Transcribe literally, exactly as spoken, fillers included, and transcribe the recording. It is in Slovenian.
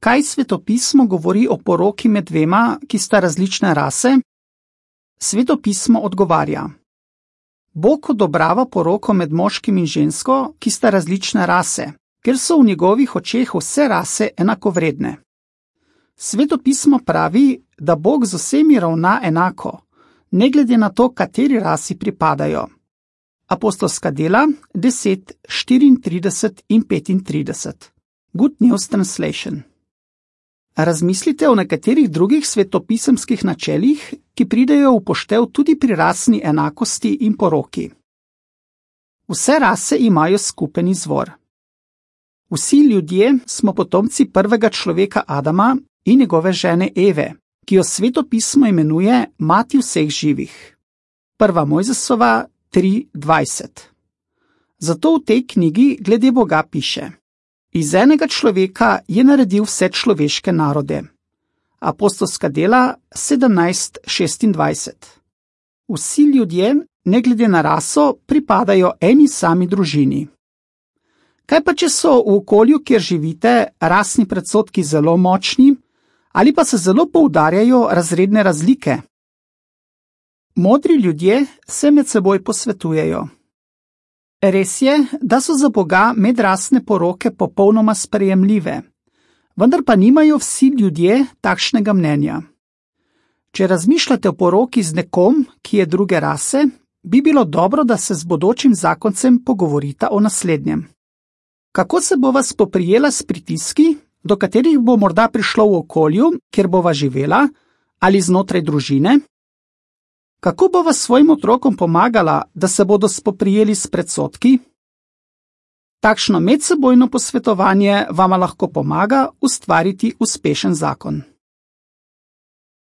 kaj svetopismo govori o poroki med dvema, ki sta različne rase? Svetopismo odgovarja: Bog odobrava poroko med moškim in žensko, ki sta različne rase, ker so v njegovih očeh vse rase enakovredne. Svetopismo pravi, da Bog z vsemi ravna enako, ne glede na to, kateri rasi pripadajo. Apostolska dela deset, štiriintrideset in petintrideset. Good News Translation. Razmislite o nekaterih drugih svetopisemskih načelih, ki pridejo v poštev tudi pri rasni enakosti in poroki. Vse rase imajo skupen izvor. Vsi ljudje smo potomci prvega človeka Adama in njegove žene Eve, ki jo svetopismo imenuje mati vseh živih. Prva Mojzesova tri dvajset. Zato v tej knjigi glede Boga piše: Iz enega človeka je naredil vse človeške narode. Apostolska dela sedemnajst šestindvajset. Vsi ljudje, ne glede na raso, pripadajo eni sami družini. Kaj pa, če so v okolju, kjer živite, rasni predsodki zelo močni, ali pa se zelo poudarjajo razredne razlike? Modri ljudje se med seboj posvetujejo. Res je, da so za Boga medrasne poroke popolnoma sprejemljive, vendar pa nimajo vsi ljudje takšnega mnenja. Če razmišljate o poroki z nekom, ki je druge rase, bi bilo dobro, da se z bodočim zakoncem pogovorita o naslednjem. Kako se bova spoprijela s pritiski, do katerih bo morda prišlo v okolju, kjer bova živela, ali znotraj družine? Kako bova svojim otrokom pomagala, da se bodo spoprijeli s predsodki? Takšno medsebojno posvetovanje vama lahko pomaga ustvariti uspešen zakon.